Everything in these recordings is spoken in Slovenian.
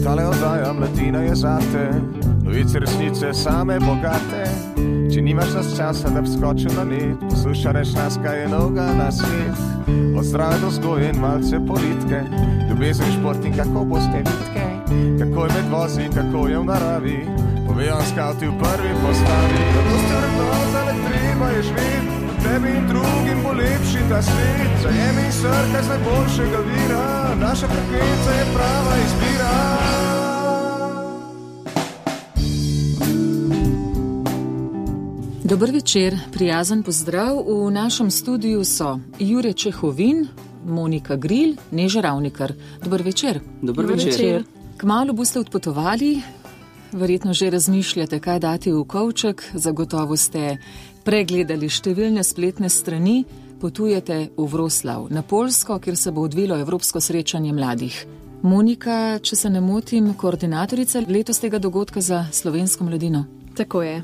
Tale oddaja Mladina je zate, novice resnice same bogate. Če nimaš nas časa, da bi skočil na net, poslušaj reš nas, kaj je novega na svet. Od zdrave do vzgoje in malce politike, ljubezen, šport in kako boste vitke, kako je med vozi, kako je v naravi, povejo skavti v prvi postavi. Kako ste vrednota, ne treba je živeti, tebi in drugim bo lepši ta svet. Zajemi srka z najboljšega vira, naša frekvenca je prava izbira. Dober večer, prijazen pozdrav. V našem studiu so Jure Čehovin, Monika Gril, Neža Ravnikar. Dober večer. Dober večer. Kmalu boste odpotovali, verjetno že razmišljate, kaj dati v kovček, zagotovo ste pregledali številne spletne strani, potujete v Wroclaw, na Poljsko, kjer se bo odvilo Evropsko srečanje mladih. Monika, če se ne motim, koordinatorica letos tega dogodka za slovensko mladino. Tako je.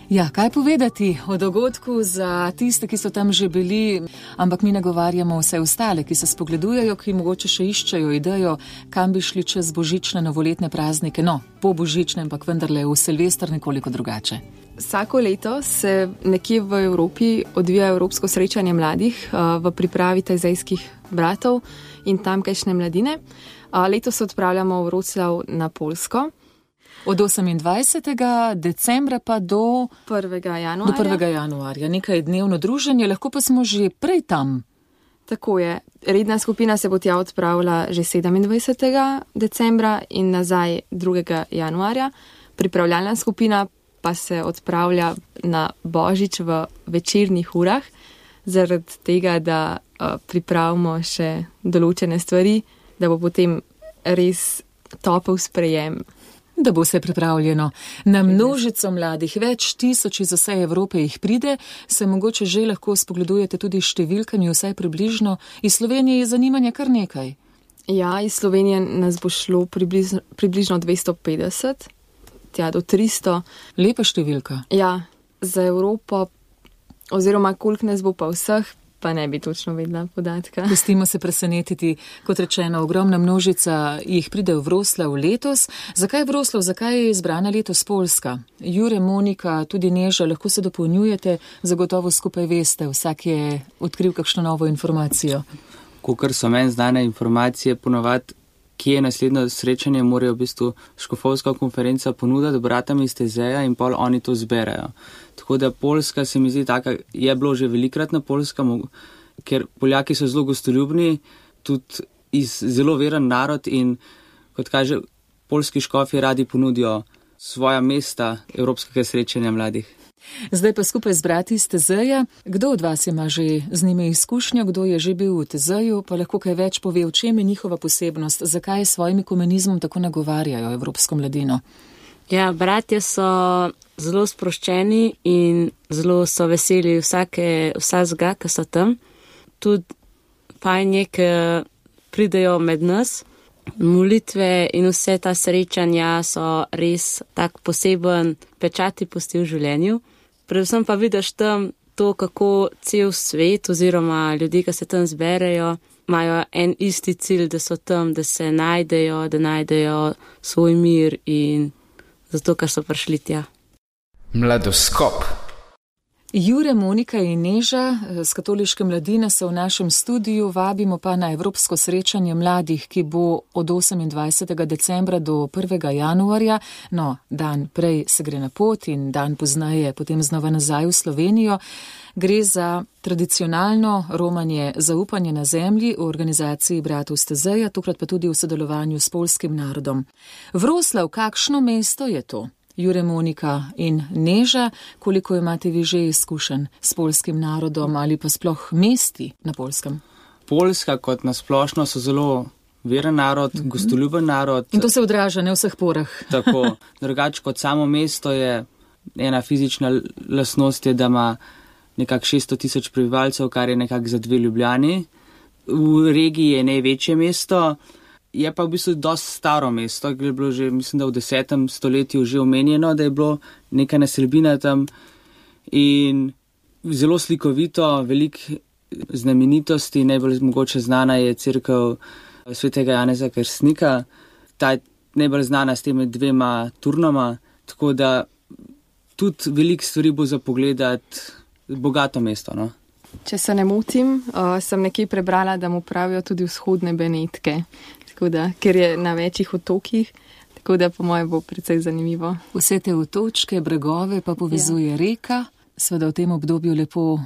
Ja, kaj povedati o dogodku za tiste, ki so tam že bili, ampak mi nagovarjamo vse ostale, ki se spogledujejo, ki mogoče še iščejo idejo, kam bi šli čez božične novoletne praznike, no, po božične, ampak vendarle v Silvester nekoliko drugače. Vsako leto se nekje v Evropi odvija Evropsko srečanje mladih v pripravi Tajzejskih bratov in tamkajšnje mladine. Letos se odpravljamo v Wroclaw na Poljsko. Od 28. decembra pa do 1. januarja. Do 1. januarja. Nekaj dnevno druženje, lahko pa smo že prej tam. Tako je. Redna skupina se bo tja odpravila že 27. decembra in nazaj 2. januarja. Pripravljalna skupina pa se odpravlja na Božič v večernih urah, zaradi tega, da pripravimo še določene stvari, da bo potem res topel sprejem. Da bo vse pripravljeno. Na množico mladih, več tisoč iz vse Evrope jih pride, se mogoče že lahko spogledujete tudi številkami, vsaj približno. Iz Slovenije je zanimanja kar nekaj. Ja, iz Slovenije nas bo šlo približno 250, tja do 300. Lepa številka. Ja, za Evropo, oziroma koliko nas bo pa vseh, pa ne bi točno vedela podatka. Pustimo se presenetiti, kot rečeno, ogromna množica jih pride v Wroclaw letos. Zakaj Wroclaw, zakaj je izbrana letos Poljska? Jure, Monika, tudi Neža, lahko se dopolnjujete, zagotovo skupaj veste, vsak je odkril kakšno novo informacijo. Kakor so meni znane informacije, ponovadi, kje je naslednjo srečanje, morajo v bistvu škofovska konferenca ponuditi bratam iz Tezeja in pol oni to zberajo. Tako da Poljska se mi zdi taka, je bilo že velikrat na Poljska, ker Poljaki so zelo gostoljubni, tudi zelo veren narod in, kot kaže, poljski škofi radi ponudijo svoja mesta evropskega srečanja mladih. Zdaj pa skupaj z brati iz Tezeja. Kdo od vas ima že z njimi izkušnjo, kdo je že bil v Tezeju, pa lahko kaj več pove, v čem je njihova posebnost, zakaj s svojim ekumenizmom tako nagovarjajo evropsko mladino? Ja, bratje so zelo sproščeni in zelo so veseli vsakega, ki so tam. Tudi fajn je, ki pridejo med nas. Molitve in vse ta srečanja so res tak poseben pečati pusti v življenju. Predvsem pa vidiš tam to, kako cel svet oziroma ljudi, ki se tam zberejo, imajo en isti cilj, da so tam, da se najdejo, da najdejo svoj mir in zato, ker so prišli tja. Mladoskop. Jure, Monika in Neža z katoliške mladine so v našem studiu, vabimo pa na Evropsko srečanje mladih, ki bo od 28. decembra do 1. januarja, no, dan prej se gre na pot in dan poznaje potem znova nazaj v Slovenijo. Gre za tradicionalno romanje zaupanje na zemlji v organizaciji bratov iz Tezeja, tokrat pa tudi v sodelovanju s poljskim narodom. Wroclaw, kakšno mesto je to? Jure, Monika in Neža, koliko imate vi že izkušenj s poljskim narodom ali pa sploh mesti na Poljskem? Poljska kot nasplošno so zelo veren narod, gostoljuben narod. In to se odraža ne v vseh porah. Tako, drugače kot samo mesto je ena fizična lastnost, je, da ima nekak 600,000 prebivalcev, kar je nekak za 2 Ljubljani. V regiji je največje mesto. Je pa v bistvu dosti staro mesto, ki je bilo že, mislim, da v 10. stoletju že omenjeno, da je bilo neka naselbina tam in zelo slikovito, veliko znamenitosti, najbolj mogoče znana je cerkev svetega Janeza Krstnika, ta je najbolj znana s temi 2 turnoma, tako da tudi veliko stvari bo za pogledati, bogato mesto, no. Če se ne motim, sem nekje prebrala, da mu pravijo tudi vzhodne Benetke, tako da, ker je na večjih otokih, tako da po moje bo precej zanimivo. Vse te otočke, bregove pa povezuje reka, seveda v tem obdobju lepo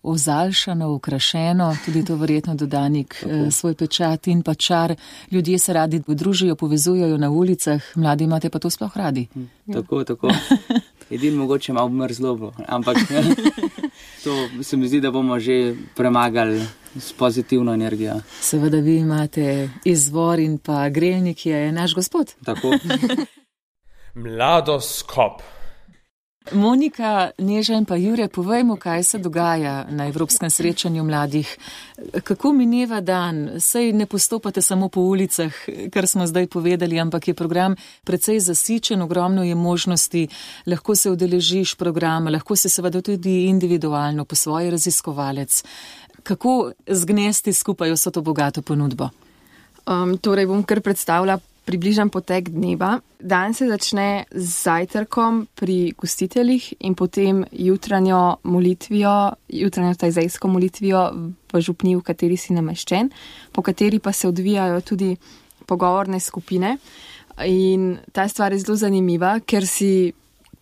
ozaljšano, okrašeno, tudi to verjetno dodanik svoj pečat in pa čar. Ljudje se radi družijo, povezujejo na ulicah, mladi imate pa to sploh radi. Tako. Edin mogoče malo mrzlo, ampak to se mi zdi, da bomo že premagali s pozitivno energijo. Seveda vi imate izvor in pa grelnik je naš gospod. Tako. Mladoskop. Monika, Neža in pa Jure, povejmo, kaj se dogaja na Evropskem srečanju mladih. Kako mineva dan? Sej ne postopate samo po ulicah, kar smo zdaj povedali, ampak je program precej zasičen, ogromno je možnosti, lahko se udeležiš programa, lahko se seveda tudi individualno po svoji raziskovalec. Kako zgnesti skupaj vso to bogato ponudbo? Torej bom kar predstavila približan potek dneva. Dan se začne z zajtrkom pri gostiteljih in potem jutranjo tajzejsko molitvijo v župniji, v kateri si nameščen, po kateri pa se odvijajo tudi pogovorne skupine. In ta stvar je zelo zanimiva, ker si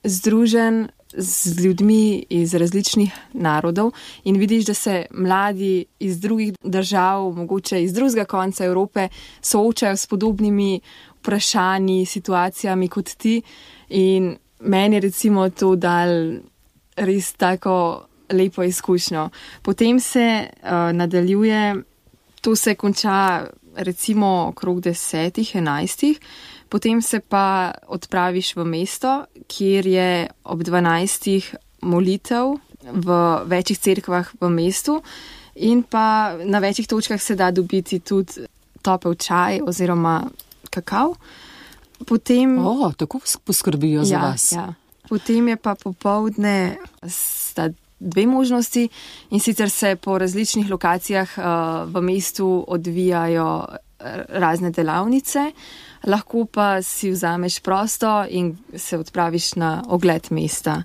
združen z ljudmi iz različnih narodov in vidiš, da se mladi iz drugih držav, mogoče iz drugega konca Evrope, soočajo s podobnimi vprašanji, situacijami kot ti. In meni je recimo to dal res tako lepo izkušnjo. Potem se nadaljuje, to se konča recimo okrog 10-11. Potem se pa odpraviš v mesto, kjer je ob 12 molitev v večjih cerkvah v mestu in pa na večjih točkah se da dobiti tudi topel čaj oziroma kakav. Potem... tako poskrbijo za vas. Ja. Potem je pa popoldne sta 2 možnosti in sicer se po različnih lokacijah v mestu odvijajo razne delavnice, lahko pa si vzameš prosto in se odpraviš na ogled mesta.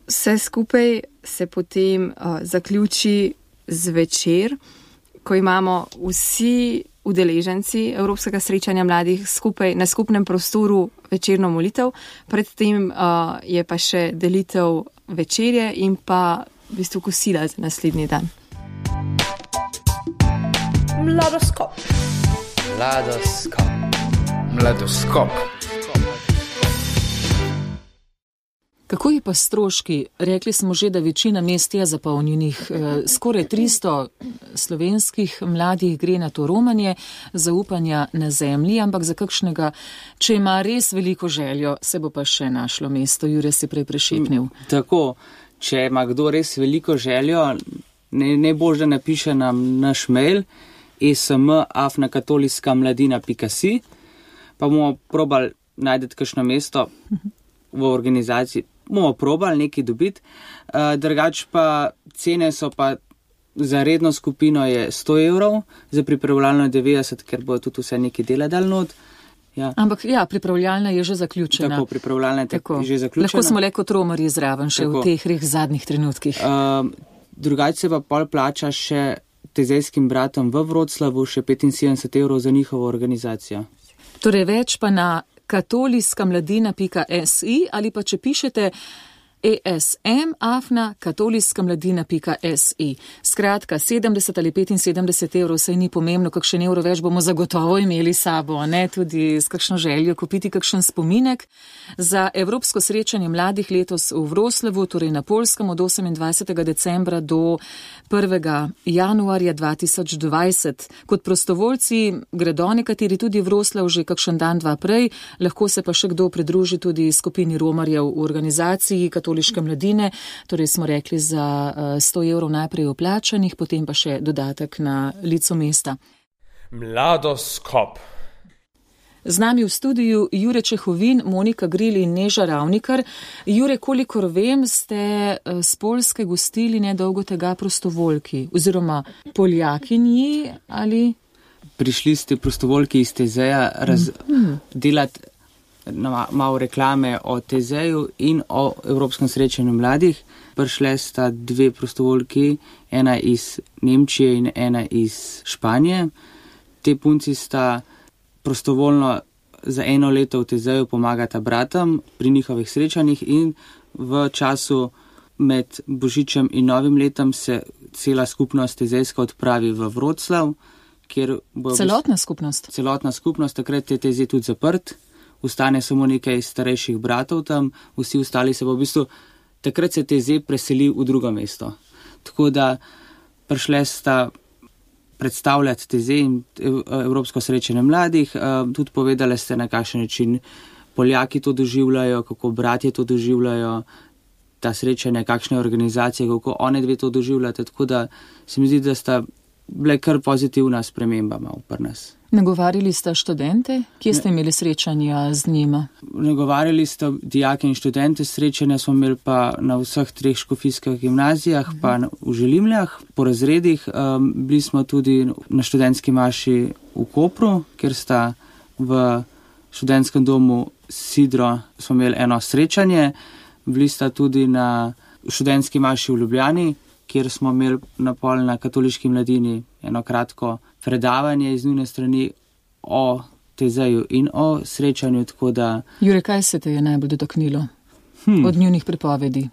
Vse skupaj se potem zaključi zvečer, ko imamo vsi udeleženci Evropskega srečanja mladih skupaj na skupnem prostoru večerno molitev, predtem je pa še delitev večerje in pa v bistvu kosila za naslednji dan. Mladoskop. Kako je pa stroški? Rekli smo že, da večina mest je zapolnjenih. Skoraj 300 slovenskih mladih gre na to romanje, zaupanja na zemlji, ampak za kakšnega, če ima res veliko željo, se bo pa še našlo mesto. Jure si prej prešepnil. Tako, če ima kdo res veliko željo, najbolj, da napiše nam naš mail sm@katolickamladina.si, pa bomo probali najdeti kakšno mesto v organizaciji, bomo probali nekaj dobiti, drugač pa cene so pa za redno skupino je 100 evrov, za pripravljalno 90, ker bo tudi vse nekaj dela dal not. Ja. Ampak ja, pripravljalna je že zaključena. Tako, pripravljalna je že zaključena. Lahko smo le kot romarji zraven še v teh res zadnjih trenutkih. Drugače se pa pol plača še tezejskim bratom v Vroclavu, še 75 evrov za njihovo organizacijo. Torej več pa na katolickamladina.si ali pa če pišete esm@katolickamladina.si. Skratka, 70 ali 75 evrov, saj ni pomembno, kakšen evro več bomo zagotovo imeli sabo, ne tudi s kakšno željo kupiti kakšen spominek. Za Evropsko srečanje mladih letos v Vroclavu, torej na Poljskem od 28. decembra do 1. januarja 2020. Kot prostovoljci gredo nekateri tudi v Vroclav že kakšen dan, dva prej, lahko se pa še kdo pridruži tudi skupini romarjev v organizaciji Katoliške mladine, torej smo rekli za 100 evrov najprej oplačanih, potem pa še dodatek na licu mesta. Mladoskop. Z nami v studiu Jure Čehovin, Monika Gril in Neža Ravnikar. Jure, kolikor vem, ste z Poljske gostili nedolgo tega prostovoljki oziroma Poljakinji ali? Prišli ste prostovoljki iz TZ-ja delati malo reklame o TZ-ju in o Evropskem srečanju mladih. Prišle sta dve prostovoljki, ena iz Nemčije in ena iz Španije. Te punci sta prostovoljno za 1 leto v TZ-ju pomagata bratom pri njihovih srečanjih in v času med Božičem in Novim letom se cela skupnost TZ-jska odpravi v Vroclav, kjer bo celotna skupnost, takrat je TZ tudi zaprt, ostane samo nekaj starejših bratov tam, vsi ostali se bo v bistvu, takrat se TZ preseli v drugo mesto. Tako da prišle sta predstavljati TZ in Evropsko srečanje mladih, tudi povedali ste, na kakšen način Poljaki to doživljajo, kako bratje to doživljajo, ta srečanja, kakšne organizacije, kako one dve to doživljate, tako da se mi zdi, da sta bile kar pozitivna sprememba malo pri nas. Nagovarjali sta študente? Kje ste imeli srečanja z njima? Nagovarjali sta dijake in študente, srečanja smo imeli pa na vseh 3 škofijskih gimnazijah, pa v Želimljah, po razredih. Bili smo tudi na študentski maši v Kopru, kjer sta v študentskem domu Sidro smo imeli eno srečanje. Bili sta tudi na študentski maši v Ljubljani, kjer smo imeli na katoliški mladini eno kratko predavanje iz njune strani o TZ-ju in o srečanju, tako da... Jure, kaj se te je najbolj dotaknilo od njunih pripovedi?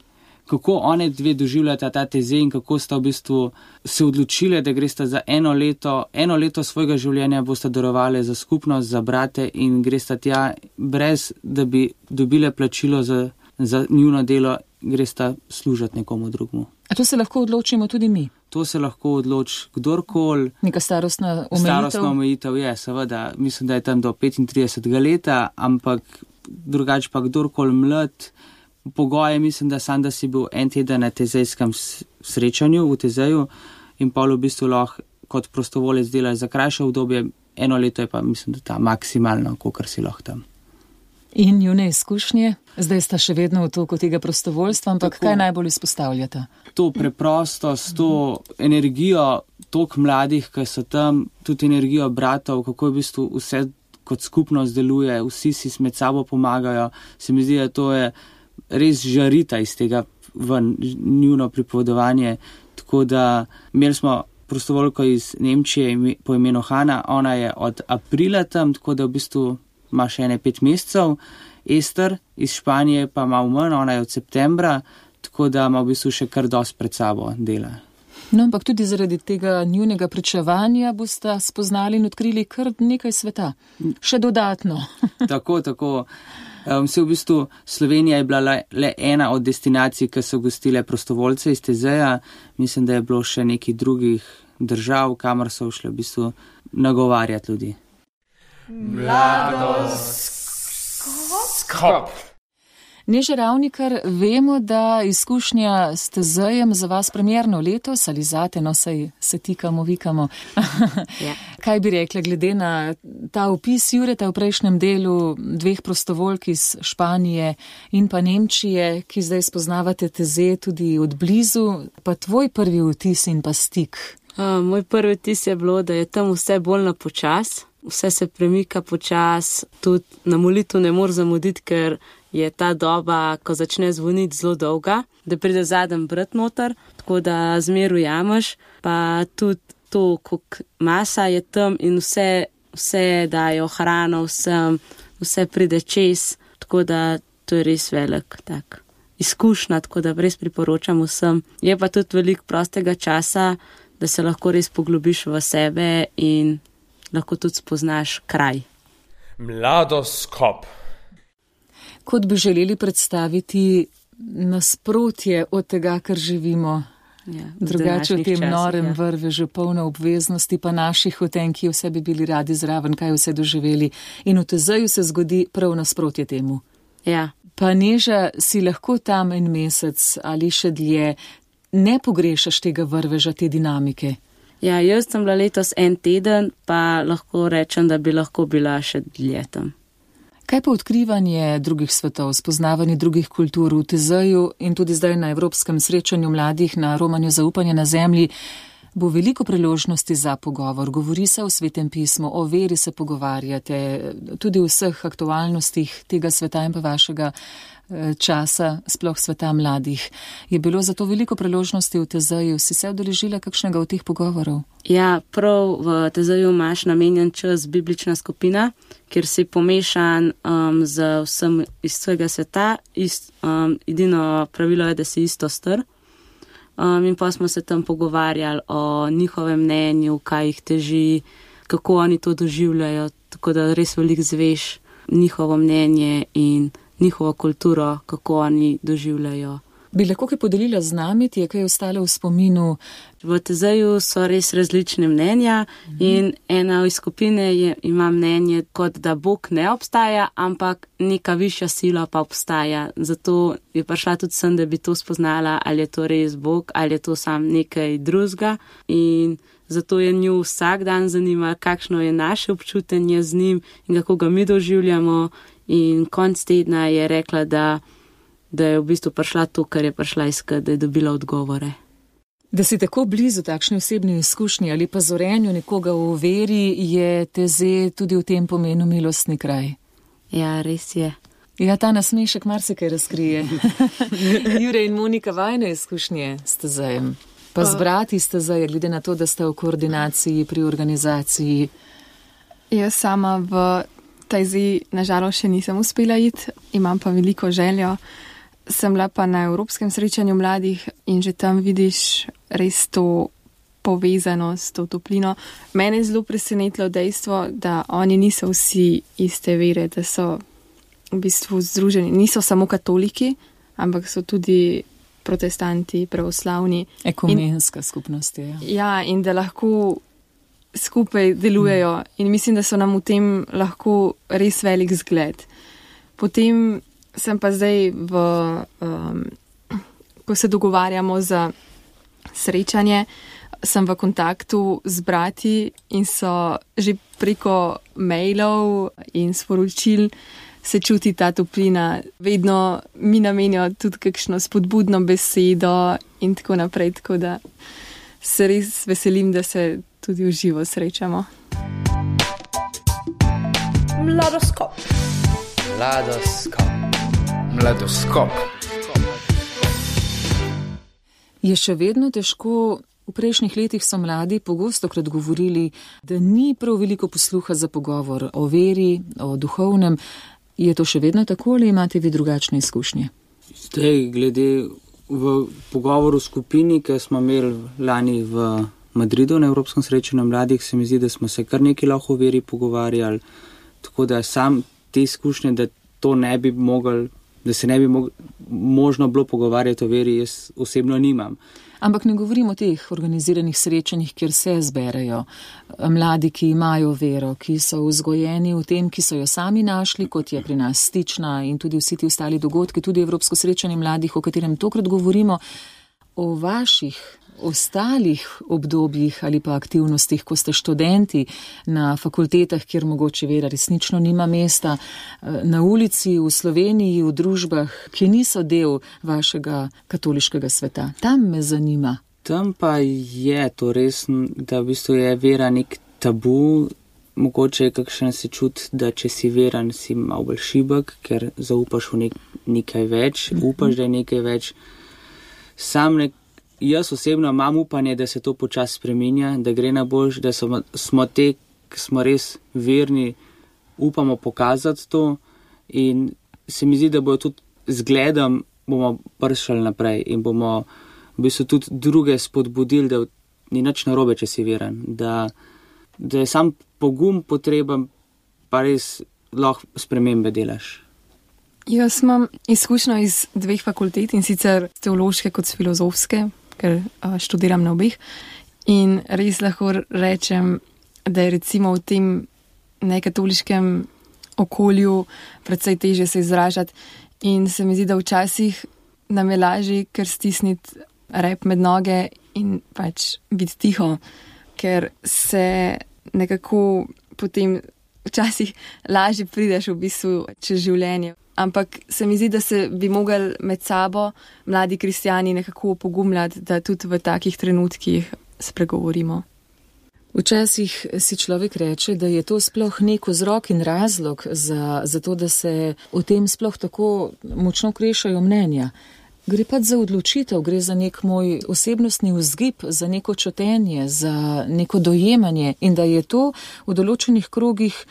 Kako one dve doživljata ta TZ in kako sta v bistvu se odločile, da gresta za 1 leto svojega življenja, bosta darovali za skupnost, za brate in gresta tja brez, da bi dobile plačilo za njuno delo, gresta služati nekomu drugemu. A to se lahko odločimo tudi mi? To se lahko odloči kdorkoli. Neka starostna omejitev? Starostna omejitev je, seveda. Mislim, da je tam do 35 leta, ampak drugače pa kdorkoli mlad. Pogoje mislim, da sam, da si bil 1 teden na TZ-jskem srečanju v TZ-ju in pol v bistvu lahko kot prostovolec delaš za krajše obdobje. 1 leto je pa mislim, da ta maksimalno, kolikor si lahko tam. In njune izkušnje? Zdaj sta še vedno v toku tega prostovoljstva, ampak tako, kaj najbolj izpostavljata? To preprostost, to energijo toliko mladih, ki so tam, tudi energijo bratov, kako v bistvu vse kot skupnost deluje, vsi si med sabo pomagajo. Se mi zdi, da to je res žarita iz tega ven njuno pripovedovanje. Tako da imeli smo prostovoljko iz Nemčije po imenu Hanna, ona je od aprila tam, tako da v bistvu ima še 5 mesecev. Ester iz Španije pa malo manj, ona je od septembra, tako da ima v bistvu še kar dosti pred sabo dela. No, ampak tudi zaradi tega njunega pričevanja boste spoznali in odkrili kar nekaj sveta. Še dodatno. Tako. Vse v bistvu Slovenija je bila le ena od destinacij, ki so gostile prostovoljce iz TZ-ja. Mislim, da je bilo še nekih drugih držav, kamor so šli v bistvu nagovarjati ljudi. Mladoskop. Neža Ravnikar, vemo, da izkušnja s TZ-jem za vas premjerno letos ali zate, no saj se tikamo, vikamo. Ja. Kaj bi rekla glede na ta opis Jureta v prejšnjem delu 2 prostovoljk iz Španije in pa Nemčije, ki zdaj spoznavate TZ tudi od blizu, pa tvoj prvi vtis in pa stik? Moj prvi vtis je bilo, da je tam vse bolj na počas, vse se premika počas, tudi na molitev ne moreš zamuditi, ker je ta doba, ko začne zvoniti, zelo dolga, da pride zadnji brat noter, tako da zmer ujameš, pa tudi to, koliko masa je tam in vse dajo hrano, vse pride čez, tako da to je res velik tak izkušnja, tako da res priporočam vsem. Je pa tudi veliko prostega časa, da se lahko res poglobiš v sebe in lahko tudi spoznaš kraj. Mladoskop. Kot bi želeli predstaviti nasprotje od tega, kar živimo. Ja, drugače v tem časih, norem ja. vrvežu, polno obveznosti, pa naših hoten, ki vse bi bili radi zraven, kaj vse doživeli. In v TZ-ju se zgodi prav nasprotje temu. Ja. Pa Neža, si lahko tam 1 mesec ali še dlje, ne pogrešaš tega vrveža, te dinamike? Ja, jaz sem bila letos en teden, pa lahko rečem, da bi lahko bila še dlje tam. Kaj pa odkrivanje drugih svetov, spoznavanje drugih kultur v TZ-ju in tudi zdaj na Evropskem srečanju mladih na romanju Zaupanje na zemlji, bo veliko priložnosti za pogovor. Govori se o Svetem pismu, o veri se pogovarjate, tudi o vseh aktualnostih tega sveta in pa vašega časa, sploh sveta mladih. Je bilo zato veliko priložnosti v TZ-ju? Si se udeležila kakšnega od teh pogovorov? Ja, prav v TZ-ju imaš namenjen čas biblična skupina, kjer si pomešan z vsem iz svojega sveta. Edino pravilo je, da si isto star. In pa smo se tam pogovarjali o njihovem mnenju, kaj jih teži, kako oni to doživljajo, tako da res veliko zveš njihovo mnenje in njihovo kulturo, kako oni doživljajo. Bi lahko kaj podelila z nami, ti je kaj ostalo v spominu? V TZ-ju so res različne mnenja in ena iz skupine ima mnenje, kot da Bog ne obstaja, ampak neka višja sila pa obstaja. Zato je prišla tudi sem, da bi to spoznala, ali je to res Bog, ali je to sam nekaj drugega. In zato je nju vsak dan zanima, kakšno je naše občutenje z njim in kako ga mi doživljamo. In konc tedna je rekla, da je v bistvu prišla to, kar je prišla iskat, da je dobila odgovore. Da si tako blizu takšni osebni izkušnji ali pa zorenju nekoga v veri, je TZ tudi v tem pomenu milostni kraj. Ja, res je. Ja, ta nasmešek marsikaj razkrije. Jure in Monika, vajne izkušnje s TZ-jem. Pa z brati s TZ-jem, glede na to, da ste v koordinaciji pri organizaciji. Jaz sama v TZ nažalost še nisem uspela iti, imam pa veliko željo. Sem bila pa na Evropskem srečanju mladih in že tam vidiš res to povezanost, to toplino. Mene je zelo presenetilo dejstvo, da oni niso vsi iste vere, da so v bistvu združeni. Niso samo katoliki, ampak so tudi protestanti, pravoslavni. Ekumenska skupnost je. Ja, in da lahko skupaj delujejo in mislim, da so nam v tem lahko res velik zgled. Potem sem pa zdaj ko se dogovarjamo za srečanje, sem v kontaktu z brati in so že preko mailov in sporočil se čuti ta toplina. Vedno mi namenijo tudi kakšno spodbudno besedo in tako naprej, tako da se res veselim, da se tudi v živo srečamo. Mladoskop. Je še vedno težko? V prejšnjih letih so mladi pogostokrat govorili, da ni prav veliko posluha za pogovor o veri, o duhovnem. Je to še vedno tako ali imate vi drugačne izkušnje? Zdaj, glede v pogovoru v skupini, ki smo imeli lani v Madridu na Evropskem srečanju mladih, se mi zdi, da smo se kar nekaj lahko o veri pogovarjali, tako da sam te izkušnje, da to ne bi mogli, da se ne bi možno bilo pogovarjati o veri, jaz osebno nimam. Ampak ne govorim o teh organiziranih srečanjih, kjer se zberejo mladi, ki imajo vero, ki so vzgojeni v tem, ki so jo sami našli, kot je pri nas Stična in tudi vsi ti ostali dogodki, tudi Evropsko srečanje mladih, o katerem tokrat govorimo, o vaših ostalih obdobjih ali pa aktivnostih, ko ste študenti na fakultetah, kjer mogoče vera resnično nima mesta, na ulici, v Sloveniji, v družbah, ki niso del vašega katoliškega sveta. Tam me zanima. Tam pa je to res, da v bistvu je vera nek tabu. Mogoče je kakšen se čut, da če si veran, si malo bolj šibek, ker zaupaš v nekaj več, upaš, da je nekaj več. Jaz osebno imam upanje, da se to počasi spreminja, da gre na boljše, da smo te, ki smo res verni, upamo pokazati to in se mi zdi, da bojo tudi zgledom bomo prišli naprej in bomo v bistvu tudi druge spodbudili, da ni nič narobe, če si veren, da je sam pogum potreben, pa res lahko spremembe delaš. Jaz imam izkušnjo iz 2 fakultet in sicer teološke kot filozofske, ker študiram na obeh. In res lahko rečem, da je recimo v tem nekatoliškem okolju predvsej teže se izražati. In se mi zdi, da včasih nam je lažje kar stisniti rep med noge in pač biti tiho, ker se nekako potem včasih lažje prideš v bistvu čez življenje. Ampak se mi zdi, da se bi mogli med sabo mladi kristjani nekako opogumljati, da tudi v takih trenutkih spregovorimo. Včasih si človek reče, da je to sploh nek vzrok in razlog za to, da se o tem sploh tako močno krešajo mnenja. Gre pa za odločitev, gre za nek moj osebnostni vzgib, za neko čutenje, za neko dojemanje in da je to v določenih krogih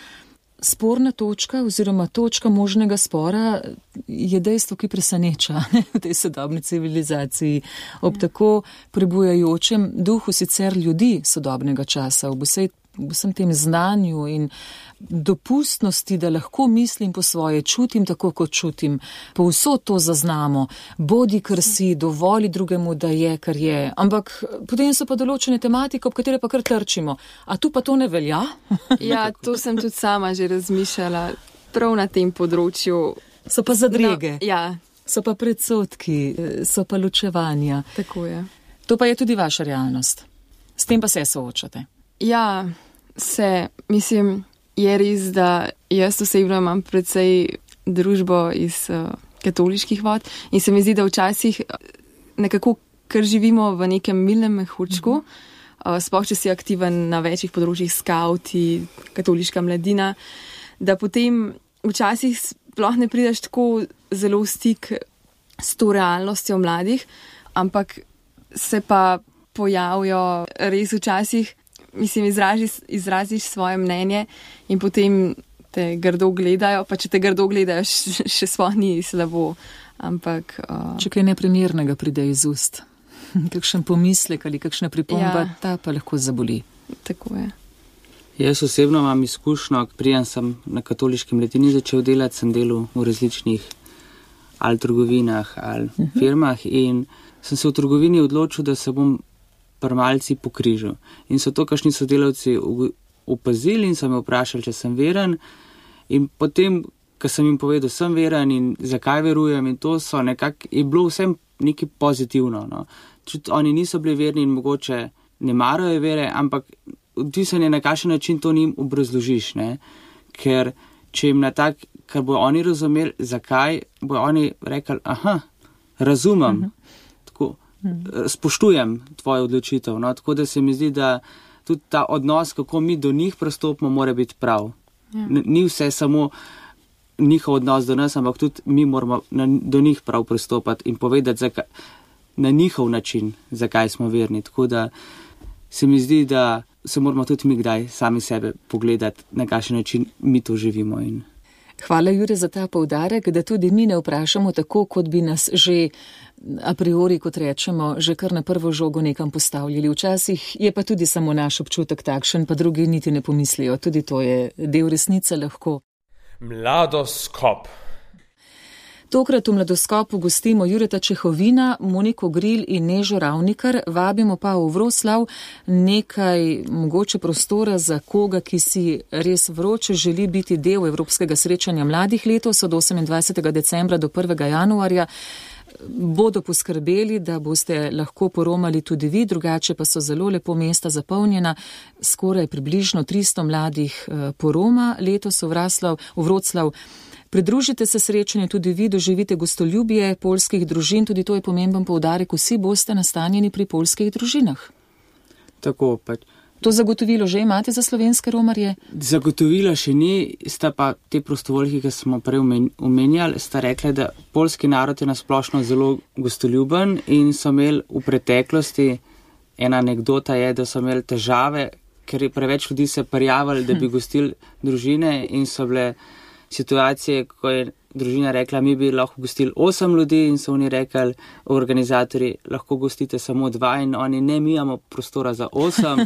sporna točka oziroma točka možnega spora, je dejstvo, ki preseneča v tej sodobni civilizaciji. Ob tako prebujajočem duhu sicer ljudi sodobnega časa, ob vsem tem znanju in dopustnosti, da lahko mislim po svoje, čutim tako, kot čutim, povsod to zaznamo, bodi, kar si, dovoli drugemu, da je, kar je. Ampak potem so pa določene tematike, ob katere pa kar trčimo. A tu pa to ne velja? Ja, to sem tudi sama že razmišljala, prav na tem področju. So pa zadrege. No, ja. So pa predsodki, so pa ločevanja. Tako je. To pa je tudi vaša realnost. S tem pa se soočate. Ja, mislim, je res, da jaz osebno imam precej družbo iz katoliških vod in se mi zdi, da včasih nekako, ker živimo v nekem milnem mehurčku, sploh če si aktiven na večjih področjih, skauti, katoliška mladina, da potem včasih sploh ne prideš tako zelo v stik s to realnostjo mladih, ampak se pa pojavijo res včasih, mislim, izraziš svoje mnenje in potem te grdo gledajo, pa če te grdo gledajo, še sploh ni slabo, ampak... Če kaj neprimernega pride iz ust, kakšen pomislek ali kakšna pripomba, ja, ta pa lahko zaboli. Tako je. Jaz osebno imam izkušnjo, preden sem na katoliški mladini začel delati, sem delal v različnih ali trgovinah ali firmah in sem se v trgovini odločil, da se bom malci pokrižal. In so to kakšni sodelavci opazili in so me vprašali, če sem veren. In potem, ko sem jim povedal, sem veren in zakaj verujem in to so nekako, je bilo vsem nekaj pozitivno. No. Čut, oni niso bili verni in mogoče ne marajo vere, ampak odvisen je na kakšen način to njim obrazložiš. Ne. Ker če jim na tak, kar bojo oni razumeli, zakaj, bojo oni rekli, aha, razumem. Tako, spoštujem tvojo odločitev, no? Tako da se mi zdi, da tudi ta odnos, kako mi do njih pristopimo, mora biti prav. Ja. Ni vse samo njihov odnos do nas, ampak tudi mi moramo do njih prav pristopati in povedati na njihov način, zakaj smo verni. Tako da se mi zdi, da se moramo tudi mi kdaj sami sebe pogledati, na kakšen način mi to živimo. Hvala, Jure, za ta poudarek, da tudi mi ne vprašamo tako, kot bi nas že a priori, kot rečemo, že kar na prvo žogo nekam postavljali. Včasih je pa tudi samo naš občutek takšen, pa drugi niti ne pomislijo. Tudi to je del resnice lahko. Mladoskop. Tokrat v Mladoskopu gostimo Jureta Čehovina, Moniko Gril in Nežo Ravnikar. Vabimo pa v Vroslav nekaj mogoče prostora za koga, ki si res vroče želi biti del Evropskega srečanja mladih letos od 28. decembra do 1. januarja. Bodo poskrbeli, da boste lahko poromali tudi vi, drugače pa so zelo lepo mesta zapolnjena. Skoraj približno 300 mladih poroma letos v Vroclav. Pridružite se srečanju tudi vi, doživite gostoljubje poljskih družin, tudi to je pomemben poudarek, vsi boste nastanjeni pri poljskih družinah. Tako pač. To zagotovilo že imate za slovenske romarje? Zagotovilo še ni, sta pa te prostovoljki, ki smo prej omenjali, sta rekli, da poljski narod je nasplošno zelo gostoljuben in so imeli v preteklosti, ena anekdota je, da so imeli težave, ker je preveč ljudi se prijavili, da bi gostili družine in so bile situacije, ko je družina rekla, mi bi lahko gostili 8 ljudi in so oni rekli, organizatorji, lahko gostite samo 2 in oni ne, mi imamo prostora za 8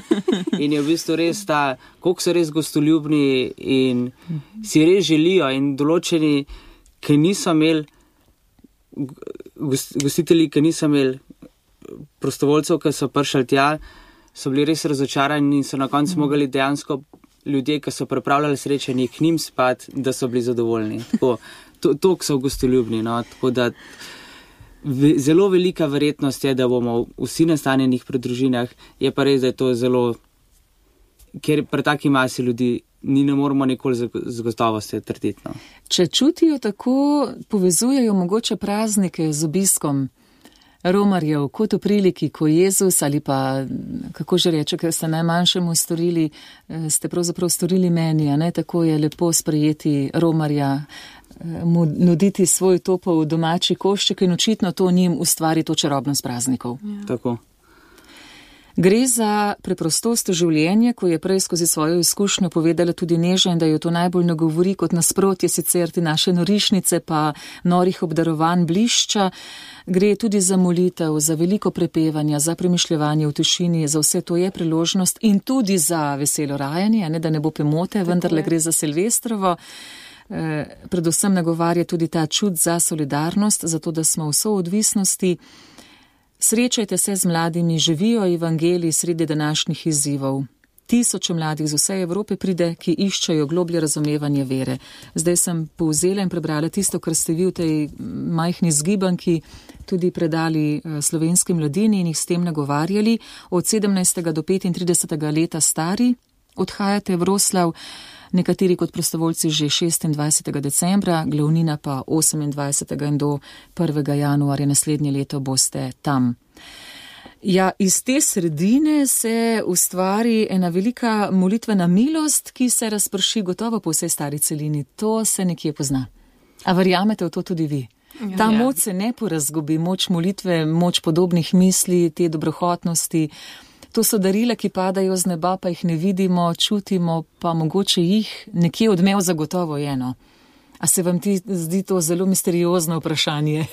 in je v bistvu res ta, koliko so res gostoljubni in si res želijo in določeni, ki niso imeli, gostitelji, ki niso imeli prostovoljcev, ki so prišli tja, so bili res razočarani in so na koncu mogli dejansko ljudje, ki so pripravljali srečanje k njim spati, da so bili zadovoljni. Tako, to so gostoljubni. No? Tako da zelo velika verjetnost je, da bomo vsi nastanjenih pri družinah, je pa res, da je to zelo ker pri taki masi ljudi ne moramo nikoli z gotovostjo trditi. No. Če čutijo tako, povezujejo mogoče praznike z obiskom romarjev, kot v priliki, ko Jezus ali pa, kako že reče, ker ste najmanjšemu storili, ste pravzaprav storili meni, a ne, tako je lepo sprejeti romarja, mu nuditi svoj topel domači košček in očitno to njim ustvari to čarobnost praznikov. Ja. Tako. Gre za preprostost življenja, ko je prej skozi svojo izkušnjo povedala tudi Neža in da jo to najbolj nagovori kot nasprotje sicer te naše norišnice pa norih obdarovanj blišča. Gre tudi za molitev, za veliko prepevanja, za premišljevanje v tišini, za vse to je priložnost in tudi za veselo rajanje, ne da ne bo pomote, vendarle gre za Silvestrovo. Predvsem nagovarja tudi ta čut za solidarnost, zato da smo v soodvisnosti. Srečajte se z mladimi, živijo evangeliji sredi današnjih izzivov. Tisoče mladih z vse Evrope pride, ki iščejo globlje razumevanje vere. Zdaj sem povzela in prebrala tisto, kar ste vi v tej majhni zgibanki tudi predali slovenski mladini in jih s tem nagovarjali. Od 17. do 35. leta stari odhajate v Roslav, nekateri kot prostovoljci že 26. decembra, glavnina pa 28. in do 1. januarja naslednje leto boste tam. Ja, iz te sredine se ustvari ena velika molitvena milost, ki se razprši gotovo po vsej stari celini. To se nekje pozna. A verjamete v to tudi vi? Ta moč se ne porazgubi, moč molitve, moč podobnih misli, te dobrohotnosti. To so darila, ki padajo z neba, pa jih ne vidimo, čutimo, pa mogoče jih nekje odmev zagotovo je, no. A se vam ti zdi to zelo misteriozno vprašanje?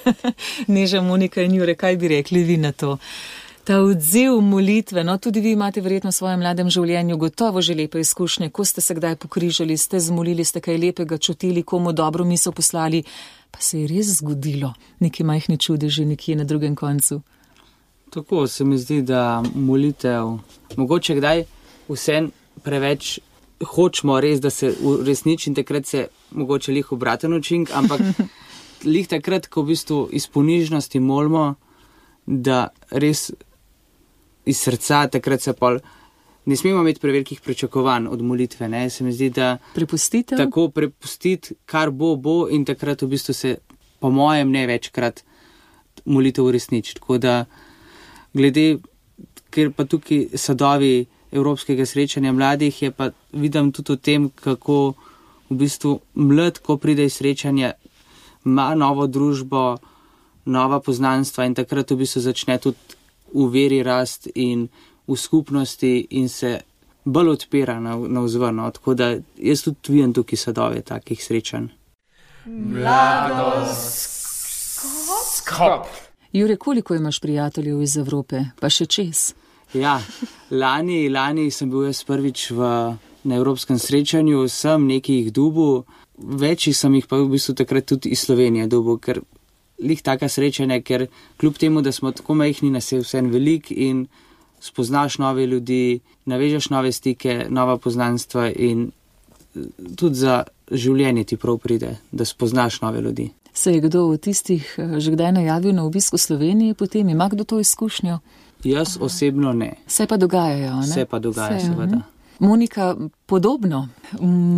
Neža, Monika in Jure, kaj bi rekli vi na to? Ta odziv molitve, no, tudi vi imate verjetno v svojem mladem življenju gotovo že lepe izkušnje, ko ste se kdaj pokrižali, ste zmolili, ste kaj lepega čutili, komu dobro misel poslali, pa se je res zgodilo neki majhni čudeži nekje na drugem koncu. Tako se mi zdi, da molitev, mogoče kdaj vsem preveč hočemo res, da se uresniči in takrat se mogoče lih obraten učink, ampak lih takrat, ko v bistvu iz ponižnosti molimo, da res iz srca takrat se pol, ne smemo imeti prevelikih pričakovanj od molitve, ne, se mi zdi, da tako prepustiti, kar bo in takrat v bistvu se, po mojem, ne večkrat molitev uresniči, tako da glede, ker pa tukaj sadovi Evropskega srečanja mladih, je pa vidim tudi v tem, kako v bistvu mlad, ko pride iz srečanja, ima novo družbo, nova poznanstva in takrat v bistvu začne tudi v veri rast in v skupnosti in se bolj odpira na vzvrno. Tako da jaz tudi vidim tukaj sadove takih srečanj. Mladoskop. Jure, koliko imaš prijateljev iz Evrope, pa še čez? Ja, lani sem bil jaz prvič na evropskem srečanju, sem nekaj jih dubil, večjih sem jih pa v bistvu takrat tudi iz Slovenije dubil, ker lih taka srečanja, ker kljub temu, da smo tako majhni, nas je vsem velik in spoznaš nove ljudi, navežeš nove stike, nova poznanstva in tudi za življenje ti prav pride, da spoznaš nove ljudi. Se je kdo od tistih že kdaj najavil na obisku Slovenije, potem ima kdo to izkušnjo? Jaz osebno ne. Se pa dogajajo, ne? Se pa dogaja, seveda. Monika, podobno,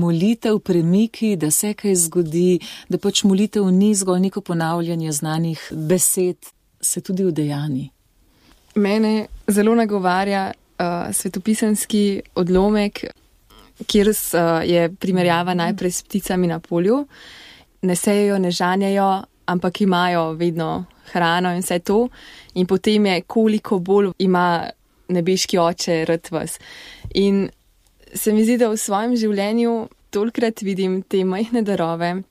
molitev, premiki, da se kaj zgodi, da pač molitev ni zgolj neko ponavljanje znanih besed, se tudi udejani. Mene zelo nagovarja svetopisanski odlomek, kjer je primerjava najprej s pticami na polju. Ne sejejo, ne žanjajo, ampak imajo vedno hrano in vse to. In potem je, koliko bolj ima nebeški oče rad vas. In se mi zdi, da v svojem življenju tolikrat vidim te majhne darove.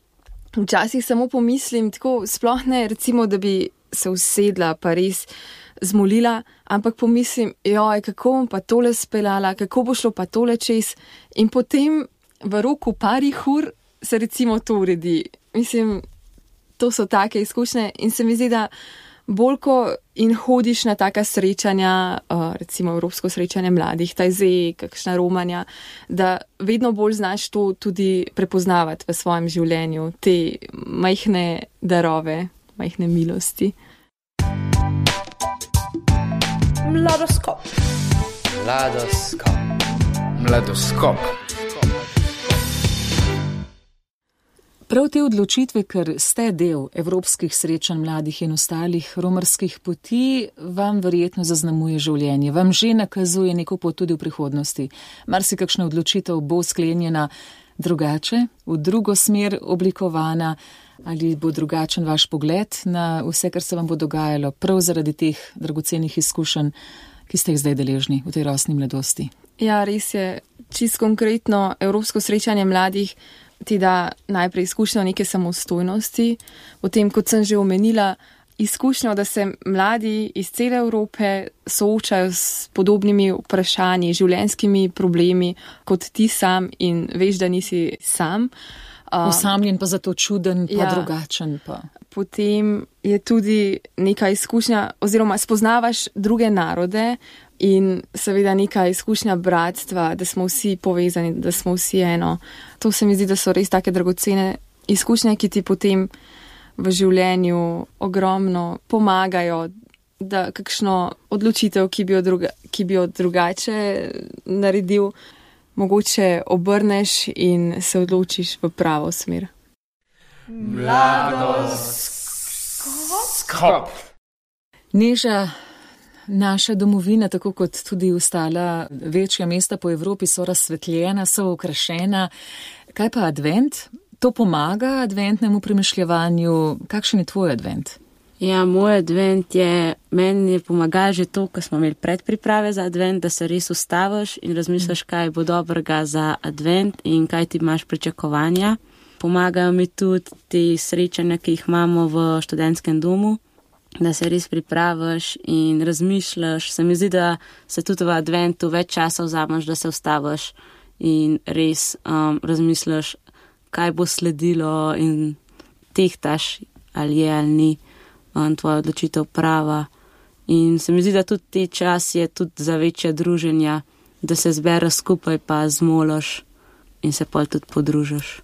Včasih samo pomislim, tako sploh ne, recimo, da bi se usedla pa res zmolila, ampak pomislim, joj, kako bom pa tole speljala, kako bo šlo pa tole čez. In potem v roku parih ur se recimo to uredi. Mislim, to so take izkušnje in se mi zdi, da bolj ko in hodiš na taka srečanja, recimo evropsko srečanje mladih, tajze, kakšna romanja, da vedno bolj znaš to tudi prepoznavati v svojem življenju, te majhne darove, majhne milosti. Mladoskop. Mladoskop. Mladoskop. Prav te odločitve, ker ste del evropskih srečanj mladih in ostalih romarskih poti, vam verjetno zaznamuje življenje, vam že nakazuje neko pot tudi v prihodnosti. Marsikakšna odločitev bo sklenjena drugače, v drugo smer oblikovana, ali bo drugačen vaš pogled na vse, kar se vam bo dogajalo, prav zaradi teh dragocenih izkušenj, ki ste jih zdaj deležni v tej rosni mladosti. Ja, res je. Čisto konkretno, evropsko srečanje mladih ti da najprej izkušnjo neke samostojnosti, potem, kot sem že omenila, izkušnjo, da se mladi iz cele Evrope soočajo s podobnimi vprašanji, življenjskimi problemi, kot ti sam in veš, da nisi sam. Osamljen pa zato čuden, pa drugačen pa. Potem je tudi neka izkušnja, oziroma spoznavaš druge narode in seveda neka izkušnja bratstva, da smo vsi povezani, da smo vsi eno. To se mi zdi, da so res take dragocene izkušnje, ki ti potem v življenju ogromno pomagajo, da kakšno odločitev, ki bi jo drugače naredil, mogoče obrneš in se odločiš v pravo smer. Mladoskop. Neža, naša domovina, tako kot tudi ostala večja mesta po Evropi, so razsvetljena, so okrašena. Kaj pa advent? To pomaga adventnemu premišljevanju. Kakšen je tvoj advent? Ja, moj advent meni je pomagal že to, ko smo imeli predpriprave za advent, da se res ustaviš in razmisliš, kaj bo dobrega za advent in kaj ti imaš pričakovanja. Pomagajo mi tudi te srečanja, ki jih imamo v študentskem domu, da se res pripraviš in razmišljaš. Se mi zdi, da se tudi v adventu več časa vzameš, da se ustaviš in res razmisliš, kaj bo sledilo in tehtaš, ali je ali ni tvoja odločitev prava. In se mi zdi, da tudi te čas je tudi za večje druženja, da se zbereš skupaj pa zmoliš in se pol tudi podružiš.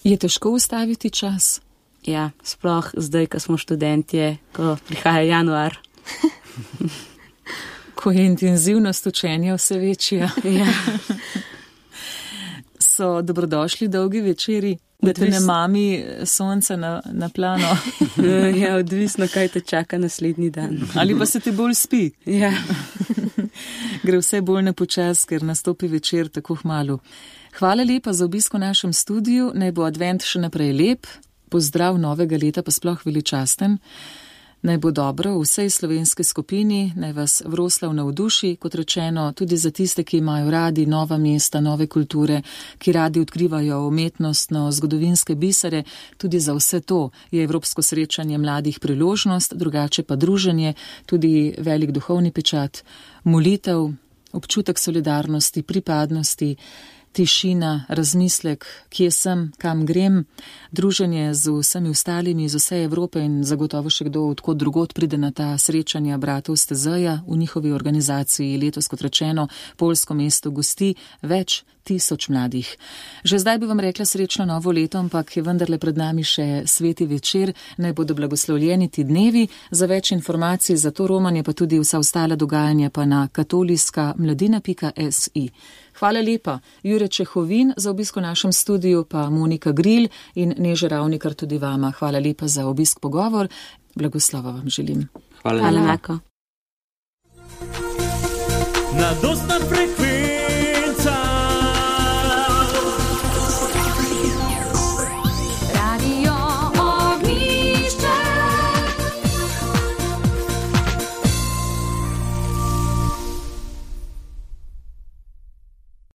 Je težko ustaviti čas? Ja, sploh zdaj, ko smo študentje, ko prihaja januar. Ko je intenzivnost učenja vse večja. Ja. So dobrodošli dolgi večeri, da te ne mami sonce na plano. Ja, odvisno, kaj te čaka naslednji dan. Ali pa se ti bolj spi. Ja. Gre vse bolj na počas, ker nastopi večer tako hmalu. Hvala lepa za obisk v našem studiu, naj bo advent še naprej lep, pozdrav novega leta pa sploh veličasten. Naj bo dobro v vsej slovenski skupini, naj vas Vroslav navduši, kot rečeno, tudi za tiste, ki imajo radi nova mesta, nove kulture, ki radi odkrivajo umetnostno, zgodovinske bisere. Tudi za vse to je evropsko srečanje mladih priložnost, drugače pa druženje, tudi velik duhovni pečat, molitev, občutek solidarnosti, pripadnosti, tišina, razmislek, kje sem, kam grem, druženje z vsemi ostalimi iz vse Evrope in zagotovo še kdo odkot drugod pride na ta srečanja bratov Stezeja. V njihovi organizaciji letos, kot rečeno, Poljsko mesto gosti več 1000 mladih. Že zdaj bi vam rekla srečno novo leto, ampak je vendarle pred nami še sveti večer, naj bodo blagoslovljeni ti dnevi. Za več informacij za to romanje, pa tudi vsa ostala dogajanja pa na katoliškamladina.si. Hvala lepa, Jure Čehovin za obisk v našem studiu, pa Monika Gril in Neža Ravnikar tudi vama. Hvala lepa za obisk pogovor. Blagoslova vam želim. Hvala lepa. Mladostna frekvenca